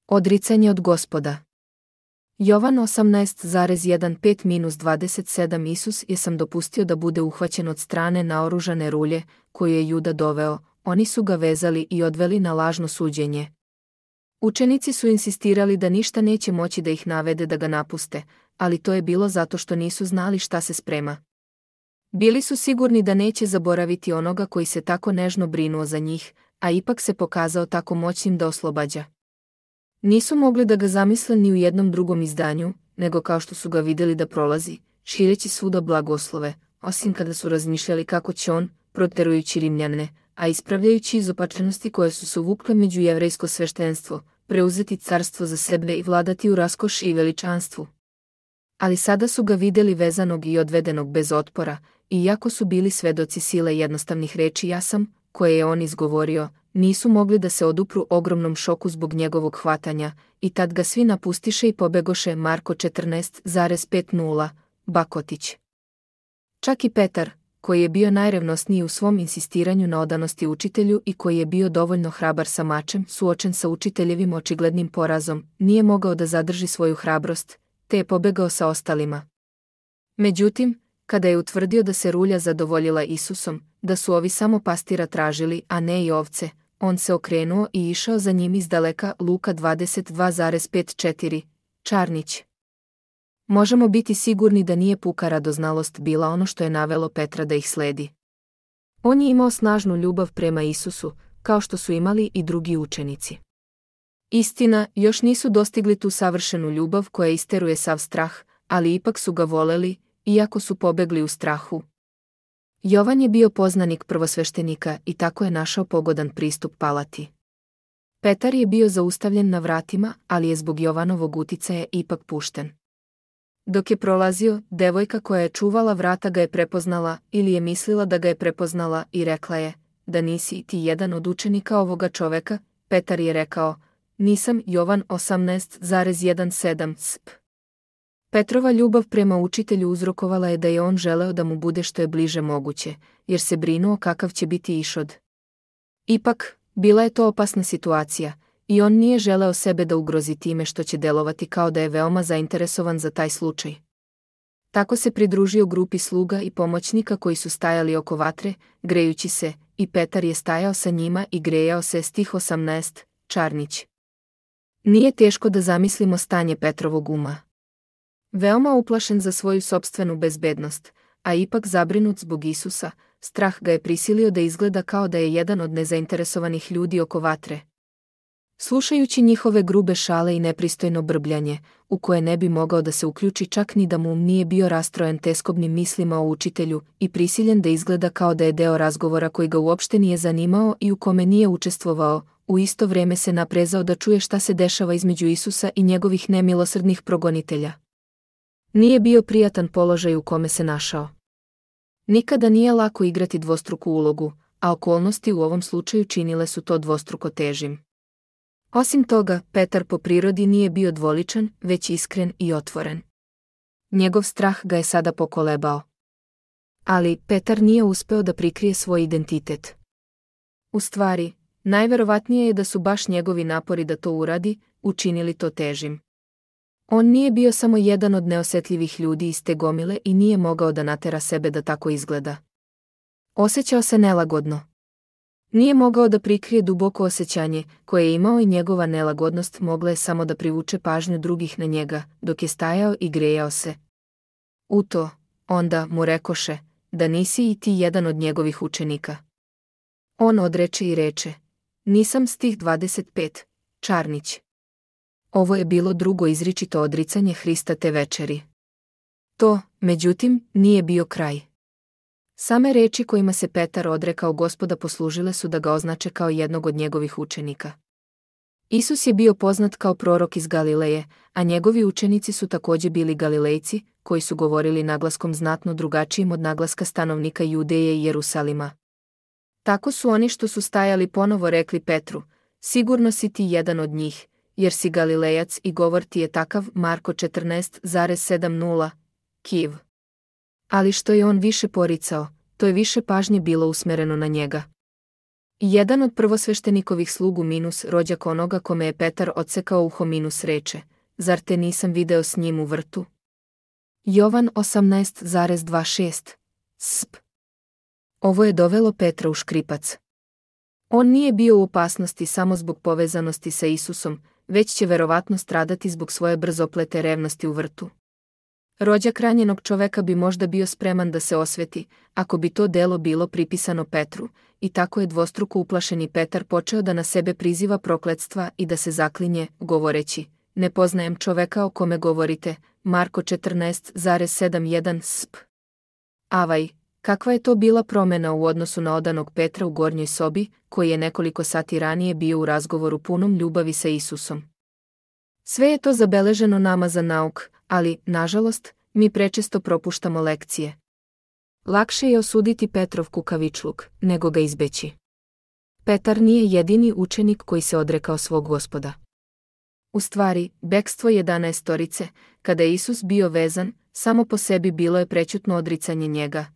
Odricanje od Gospoda. Jovan 18,15-27 Isus je sam dopustio da bude uhvaćen od strane naoružane rulje, koju je Juda doveo, oni su ga vezali i odveli na lažno suđenje. Učenici su insistirali da ništa neće moći da ih navede da ga napuste, ali to je bilo zato što nisu znali šta se sprema. Bili su sigurni da neće zaboraviti onoga koji se tako nežno brinuo za njih, a ipak se pokazao tako moćnim da oslobađa. Nisu mogli da ga zamisle ni u jednom drugom izdanju, nego kao što su ga vidjeli da prolazi, šireći svuda blagoslove, osim kada su razmišljali kako će on, proterujući Rimljane, a ispravljajući izopačenosti koje su se uvukle među jevrejsko sveštenstvo, preuzeti carstvo za sebe i vladati u raskoši i veličanstvu. Ali sada su ga vidjeli vezanog i odvedenog bez otpora, i iako su bili svedoci sile jednostavnih reči ja sam, koje je on izgovorio, nisu mogli da se odupru ogromnom šoku zbog njegovog hvatanja, i tad ga svi napustiše i pobegoše. Marko 14,50, Bakotić. Čak i Petar, koji je bio najrevnosniji u svom insistiranju na odanosti učitelju i koji je bio dovoljno hrabar sa mačem, suočen sa učiteljevim očiglednim porazom, nije mogao da zadrži svoju hrabrost, te je pobegao sa ostalima. Međutim, kada je utvrdio da se rulja zadovoljila Isusom, da su ovi samo pastira tražili, a ne i ovce, on se okrenuo i išao za njim izdaleka. Luka 22,54, Čarnić. Možemo biti sigurni da nije puka radoznalost bila ono što je navelo Petra da ih sledi. On je imao snažnu ljubav prema Isusu, kao što su imali i drugi učenici. Istina, još nisu dostigli tu savršenu ljubav koja isteruje sav strah, ali ipak su ga voleli, iako su pobegli u strahu. Jovan je bio poznanik prvosveštenika i tako je našao pogodan pristup palati. Petar je bio zaustavljen na vratima, ali je zbog Jovanovog uticaja ipak pušten. Dok je prolazio, devojka koja je čuvala vrata ga je prepoznala ili je mislila da ga je prepoznala i rekla je, da nisi ti jedan od učenika ovoga čoveka. Petar je rekao, nisam. Jovan 18,17 sp. Petrova ljubav prema učitelju uzrokovala je da je on želeo da mu bude što je bliže moguće, jer se brinuo kakav će biti ishod. Ipak, bila je to opasna situacija, i on nije želeo sebe da ugrozi time što će delovati kao da je veoma zainteresovan za taj slučaj. Tako se pridružio grupi sluga i pomoćnika koji su stajali oko vatre, grejući se, i Petar je stajao sa njima i grejao se. Stih 18, Čarnić. Nije teško da zamislimo stanje Petrovog uma. Veoma uplašen za svoju sopstvenu bezbednost, a ipak zabrinut zbog Isusa, strah ga je prisilio da izgleda kao da je jedan od nezainteresovanih ljudi oko vatre. Slušajući njihove grube šale i nepristojno brbljanje, u koje ne bi mogao da se uključi čak ni da mu nije bio rastrojen teskobnim mislima o učitelju i prisiljen da izgleda kao da je deo razgovora koji ga uopšte nije zanimao i u kome nije učestvovao, u isto vrijeme se naprezao da čuje šta se dešava između Isusa i njegovih nemilosrdnih progonitelja. Nije bio prijatan položaj u kome se našao. Nikada nije lako igrati dvostruku ulogu, a okolnosti u ovom slučaju činile su to dvostruko težim. Osim toga, Petar po prirodi nije bio dvoličan, već iskren i otvoren. Njegov strah ga je sada pokolebao. Ali Petar nije uspeo da prikrije svoj identitet. U stvari, najverovatnije je da su baš njegovi napori da to uradi, učinili to težim. On nije bio samo jedan od neosjetljivih ljudi iz te gomile i nije mogao da natera sebe da tako izgleda. Osjećao se nelagodno. Nije mogao da prikrije duboko osjećanje koje je imao i njegova nelagodnost mogla je samo da privuče pažnju drugih na njega, dok je stajao i grejao se. U to, onda mu rekoše, da nisi i ti jedan od njegovih učenika. On odreče i reče, nisam. Stih 25, Čarnić. Ovo je bilo drugo izričito odricanje Hrista te večeri. To, međutim, nije bio kraj. Same reči kojima se Petar odrekao Gospoda poslužile su da ga označe kao jednog od njegovih učenika. Isus je bio poznat kao prorok iz Galileje, a njegovi učenici su također bili Galilejci, koji su govorili naglaskom znatno drugačijim od naglaska stanovnika Judeje i Jerusalima. Tako su oni što su stajali ponovo rekli Petru, sigurno si ti jedan od njih, jer si Galilejac i govor ti je takav. Marko 14,70, Kiv. Ali što je on više poricao, to je više pažnje bilo usmereno na njega. I jedan od prvosveštenikovih slugu minus rođak onoga kome je Petar odsekao uho minus reče, zar te nisam video s njim u vrtu? Jovan 18,26 Sp. Ovo je dovelo Petra u škripac. On nije bio u opasnosti samo zbog povezanosti sa Isusom, već će verovatno stradati zbog svoje brzoplete revnosti u vrtu. Rođak ranjenog čoveka bi možda bio spreman da se osveti, ako bi to delo bilo pripisano Petru, i tako je dvostruko uplašeni Petar počeo da na sebe priziva prokletstva i da se zaklinje, govoreći, ne poznajem čoveka o kome govorite, Marko 14,71 Sp. Avaj, kakva je to bila promena u odnosu na odanog Petra u gornjoj sobi, koji je nekoliko sati ranije bio u razgovoru punom ljubavi sa Isusom. Sve je to zabeleženo nama za nauk, ali, nažalost, mi prečesto propuštamo lekcije. Lakše je osuditi Petrov kukavičluk, nego ga izbeći. Petar nije jedini učenik koji se odrekao svog Gospoda. U stvari, bekstvo 11-torice, kada je Isus bio vezan, samo po sebi bilo je prećutno odricanje njega.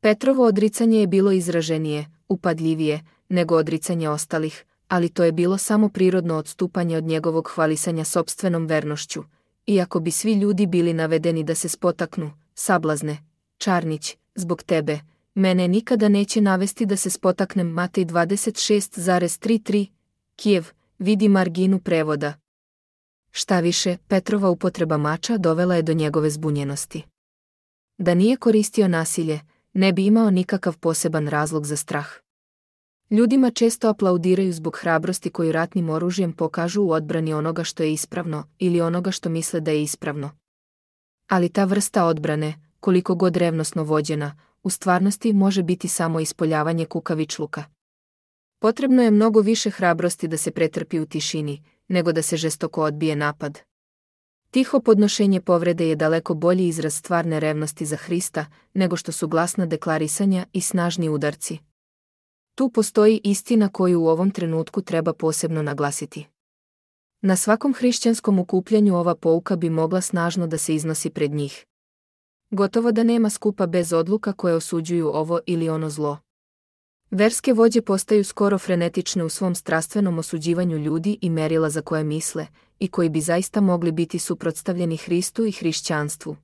Petrovo odricanje je bilo izraženije, upadljivije, nego odricanje ostalih, ali to je bilo samo prirodno odstupanje od njegovog hvalisanja sopstvenom vernošću. Iako bi svi ljudi bili navedeni da se spotaknu, sablazne, Čarnić, zbog tebe, mene nikada neće navesti da se spotaknem. Matej 26,33, Kijev, vidi marginu prevoda. Šta više, Petrova upotreba mača dovela je do njegove zbunjenosti. Da nije koristio nasilje, ne bi imao nikakav poseban razlog za strah. Ljudima često aplaudiraju zbog hrabrosti koju ratnim oružjem pokažu u odbrani onoga što je ispravno ili onoga što misle da je ispravno. Ali ta vrsta odbrane, koliko god revnosno vođena, u stvarnosti može biti samo ispoljavanje kukavičluka. Potrebno je mnogo više hrabrosti da se pretrpi u tišini, nego da se žestoko odbije napad. Tiho podnošenje povrede je daleko bolji izraz stvarne revnosti za Hrista, nego što su glasna deklarisanja i snažni udarci. Tu postoji istina koju u ovom trenutku treba posebno naglasiti. Na svakom hrišćanskom okupljanju ova pouka bi mogla snažno da se iznosi pred njih. Gotovo da nema skupa bez odluka koje osuđuju ovo ili ono zlo. Verske vođe postaju skoro frenetične u svom strastvenom osuđivanju ljudi i merila za koje misle, i koji bi zaista mogli biti suprotstavljeni Hristu i hrišćanstvu.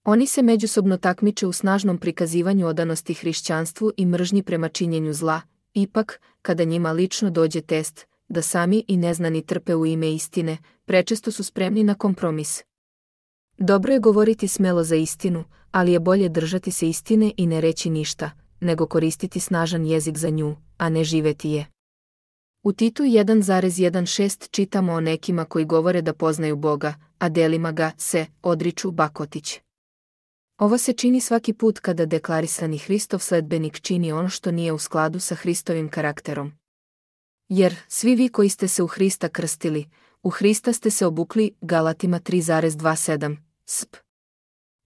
Oni se međusobno takmiče u snažnom prikazivanju odanosti hrišćanstvu i mržnji prema činjenju zla, ipak, kada njima lično dođe test, da sami i neznani trpe u ime istine, prečesto su spremni na kompromis. Dobro je govoriti smelo za istinu, ali je bolje držati se istine i ne reći ništa, nego koristiti snažan jezik za nju, a ne živeti je. U Titu 1,16 čitamo o nekima koji govore da poznaju Boga, a delima ga se odriču Bakotić. Ovo se čini svaki put kada deklarisani Hristov sledbenik čini ono što nije u skladu sa Hristovim karakterom. Jer, svi vi koji ste se u Hrista krstili, u Hrista ste se obukli, Galatima 3,27, Sp.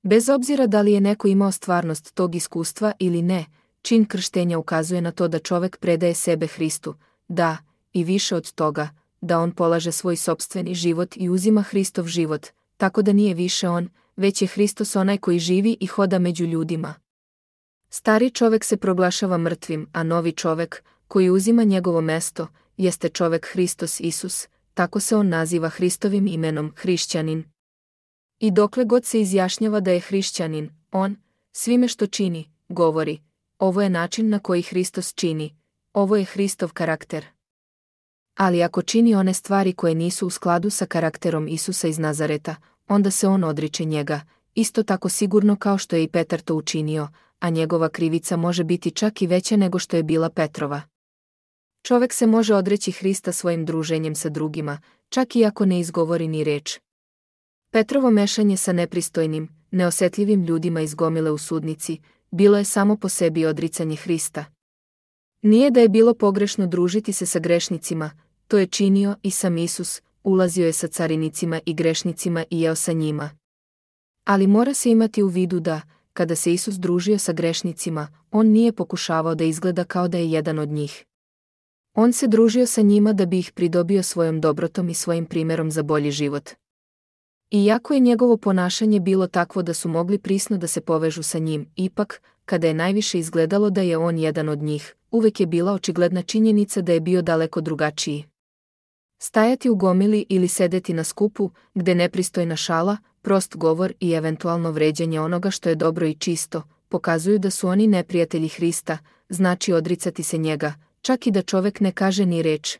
Bez obzira da li je neko imao stvarnost tog iskustva ili ne, čin krštenja ukazuje na to da čovek predaje sebe Hristu, da, i više od toga, da on polaže svoj sopstveni život i uzima Hristov život, tako da nije više on, već je Hristos onaj koji živi i hoda među ljudima. Stari čovek se proglašava mrtvim, a novi čovek, koji uzima njegovo mesto, jeste čovek Hristos Isus, tako se on naziva Hristovim imenom hrišćanin. I dokle god se izjašnjava da je hrišćanin, on, svime što čini, govori, ovo je način na koji Hristos čini, ovo je Hristov karakter. Ali ako čini one stvari koje nisu u skladu sa karakterom Isusa iz Nazareta, onda se on odriče njega, isto tako sigurno kao što je i Petar to učinio, a njegova krivica može biti čak i veća nego što je bila Petrova. Čovek se može odreći Hrista svojim druženjem sa drugima, čak i ako ne izgovori ni reč. Petrovo mešanje sa nepristojnim, neosetljivim ljudima iz gomile u sudnici, bilo je samo po sebi odricanje Hrista. Nije da je bilo pogrešno družiti se sa grešnicima, to je činio i sam Isus, ulazio je sa carinicima i grešnicima i jeo sa njima. Ali mora se imati u vidu da, kada se Isus družio sa grešnicima, on nije pokušavao da izgleda kao da je jedan od njih. On se družio sa njima da bi ih pridobio svojom dobrotom i svojim primerom za bolji život. Iako je njegovo ponašanje bilo takvo da su mogli prisno da se povežu sa njim, ipak, kada je najviše izgledalo da je on jedan od njih, uvek je bila očigledna činjenica da je bio daleko drugačiji. Stajati u gomili ili sedeti na skupu, gde nepristojna šala, prost govor i eventualno vređanje onoga što je dobro i čisto, pokazuju da su oni neprijatelji Hrista, znači odricati se njega, čak i da čovek ne kaže ni reč.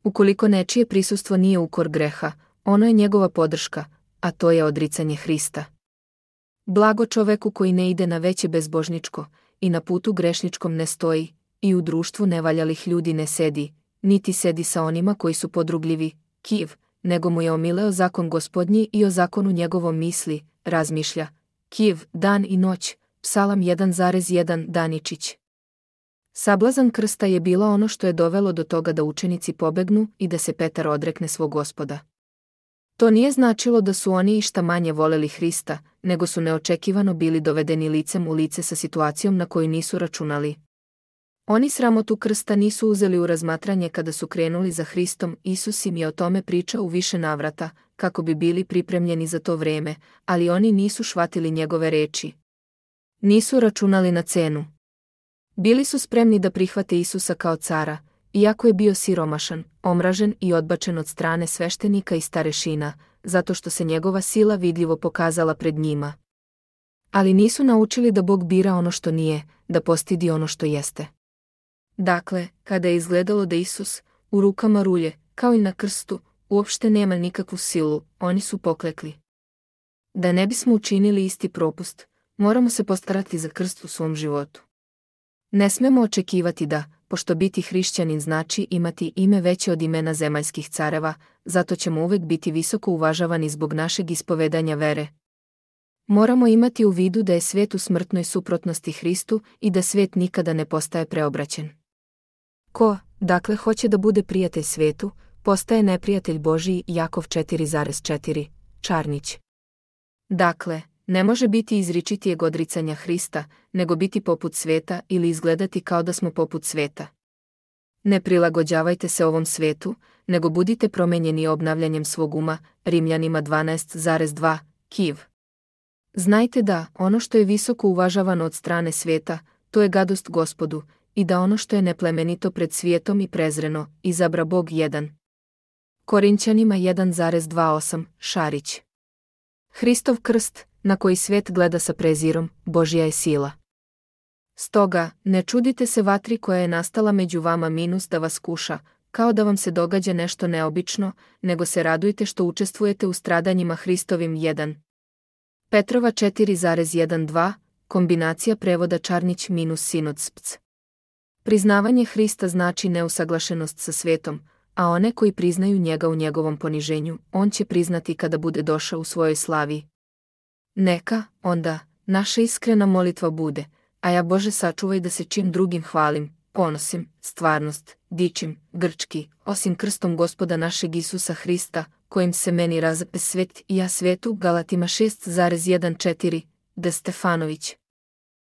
Ukoliko nečije prisustvo nije ukor greha, ono je njegova podrška, a to je odricanje Hrista. Blago čoveku koji ne ide na veće bezbožničko, i na putu grešničkom ne stoji, i u društvu nevaljalih ljudi ne sedi, niti sedi sa onima koji su podrugljivi, kiv, nego mu je omileo zakon Gospodnji i o zakonu njegovom misli, razmišlja, kiv, dan i noć, Psalam 1,1 Daničić. Sablazan krsta je bila ono što je dovelo do toga da učenici pobegnu i da se Petar odrekne svog Gospoda. To nije značilo da su oni išta manje voleli Hrista, nego su neočekivano bili dovedeni licem u lice sa situacijom na koju nisu računali. Oni sramotu krsta nisu uzeli u razmatranje kada su krenuli za Hristom. Isus im je o tome pričao u više navrata, kako bi bili pripremljeni za to vreme, ali oni nisu shvatili njegove reči. Nisu računali na cenu. Bili su spremni da prihvate Isusa kao cara, iako je bio siromašan, omražen i odbačen od strane sveštenika i starešina, zato što se njegova sila vidljivo pokazala pred njima. Ali nisu naučili da Bog bira ono što nije, da postidi ono što jeste. Dakle, kada je izgledalo da Isus, u rukama rulje, kao i na krstu, uopšte nema nikakvu silu, oni su poklekli. Da ne bismo učinili isti propust, moramo se postarati za krst u svom životu. Ne smemo očekivati da, pošto biti hrišćanin znači imati ime veće od imena zemaljskih careva, zato ćemo uvek biti visoko uvažavani zbog našeg ispovedanja vere. Moramo imati u vidu da je svet u smrtnoj suprotnosti Hristu i da svet nikada ne postaje preobraćen. Ko, dakle, hoće da bude prijatelj svetu, postaje neprijatelj Božiji. Jakov 4,4, Čarnić. Dakle, ne može biti izričitijeg odricanja Hrista, nego biti poput sveta ili izgledati kao da smo poput sveta. Ne prilagođavajte se ovom svetu, nego budite promenjeni obnavljanjem svog uma. Rimljanima 12,2, Kiv. Znajte da, ono što je visoko uvažavano od strane sveta, to je gadost Gospodu, i da ono što je neplemenito pred svijetom i prezreno, izabra Bog 1. Korinćanima 1,28, Šarić. Hristov krst, na koji svet gleda sa prezirom, Božja je sila. Stoga, ne čudite se vatri koja je nastala među vama da vas kuša, kao da vam se događa nešto neobično, nego se radujte što učestvujete u stradanjima Hristovim. 1. Petrova 4,12, kombinacija prevoda Čarnić - Sinodsps. Priznavanje Hrista znači neusaglašenost sa svetom, a one koji priznaju njega u njegovom poniženju, on će priznati kada bude došao u svojoj slavi. Neka, onda, naša iskrena molitva bude, a ja Bože sačuvaj da se čim drugim hvalim, ponosim, stvarnost, dičim, grčki, osim krstom Gospoda našeg Isusa Hrista, kojim se meni razape svet i ja svetu. Galatima 6,14, De Stefanović.